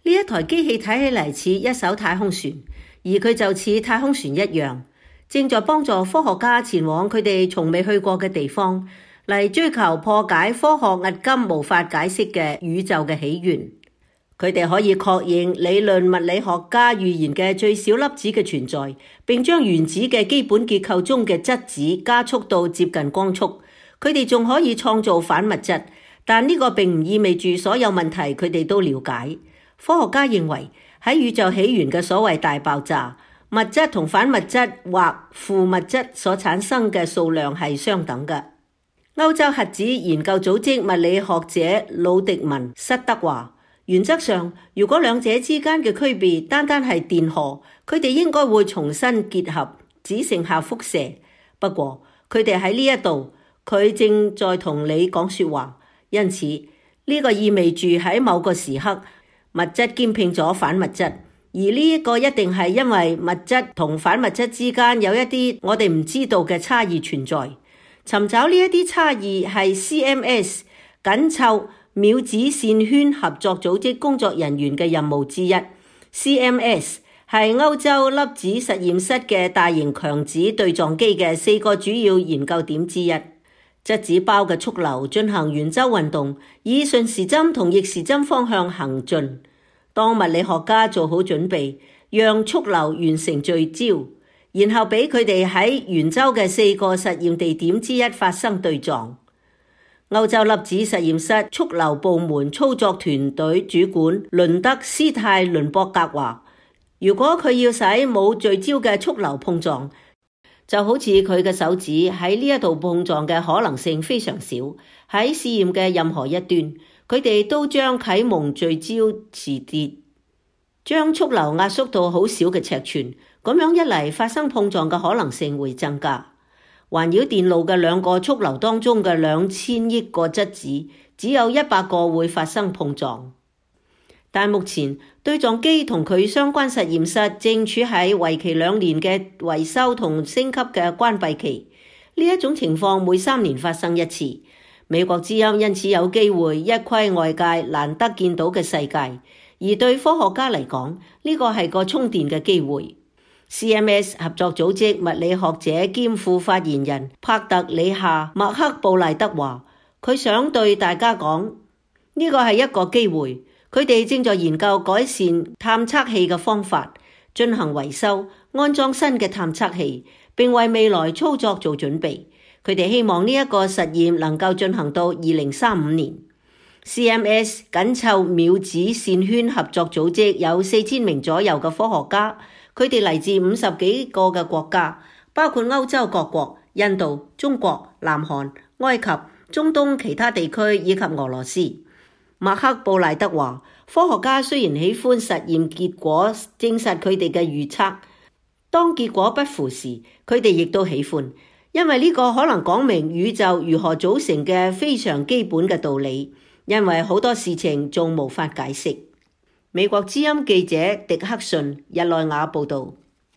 呢一台機器睇起嚟似一艘太空船，而佢就似太空船一樣，正在幫助科學家前往佢哋從未去過嘅地方，嚟追求破解科學迄今無法解釋嘅宇宙嘅起源。佢哋可以確認理論物理學家預言嘅最小粒子嘅存在，並將原子嘅基本結構中嘅質子加速到接近光速。佢哋仲可以創造反物質，但呢個並唔意味住所有問題佢哋都了解。科學家認為喺宇宙起源嘅所謂大爆炸，物質同反物質或負物質所產生嘅數量係相等嘅。歐洲核子研究組織物理學者魯迪文塞德話，原則上，如果兩者之間嘅區別單單係電荷，佢哋應該會重新結合，只剩下輻射。不過，佢哋喺呢一度，佢正在同你講說話，因此呢個意味住喺某個時刻，物質兼併咗反物質，而呢一個一定係因為物質同反物質之間有一啲我哋唔知道嘅差異存在。尋找呢一啲差異係 CMS 緊湊秒子線圈合作組織工作人員嘅任務之一。CMS 係歐洲粒子實驗室嘅大型強子對撞機嘅4個主要研究點之一。質子包嘅速流進行圓周運動，以順時針同逆時針方向行進。當物理學家做好準備，讓速流完成聚焦，然後俾佢哋喺圓周嘅4個實驗地點之一發生對撞。歐洲粒子實驗室速流部門操作團隊主管倫德斯泰倫博格話，如果佢要使冇聚焦嘅速流碰撞，就好似佢嘅手指喺呢一度碰撞嘅可能性非常少。喺試驗嘅任何一端，佢哋都將啟蒙聚焦磁鐵，將速流壓縮到好小嘅尺寸，咁樣一嚟發生碰撞嘅可能性會增加。環繞電路嘅2個速流當中嘅2000億個質子，只有100個會發生碰撞。但目前對撞機同佢相關實驗室正處喺為期2年嘅維修同升級嘅關閉期。呢一種情況每3年發生一次。美國之音因此有機會一窺外界難得見到嘅世界，而對科學家嚟講，呢個係個充電嘅機會。CMS 合作組織物理學者兼副發言人帕特里夏麥克布賴德話，佢想對大家講，呢個係一個機會。佢哋正在研究改善探測器嘅方法，進行維修，安裝新嘅探測器，並為未來操作做準備。佢哋希望呢一個實驗能夠進行到2035年。CMS 緊湊秒子線圈合作組織有4000名左右嘅科學家，佢哋嚟自50幾個嘅國家，包括歐洲各國、印度、中國、南韓、埃及、中東其他地區以及俄羅斯。馬克布賴德話，科學家雖然喜歡實驗結果證實佢哋嘅預測，當結果不符時，佢哋亦都喜歡，因為呢個可能講明宇宙如何組成嘅非常基本嘅道理，因為好多事情仲無法解釋。美國之音記者狄克遜日內瓦報道。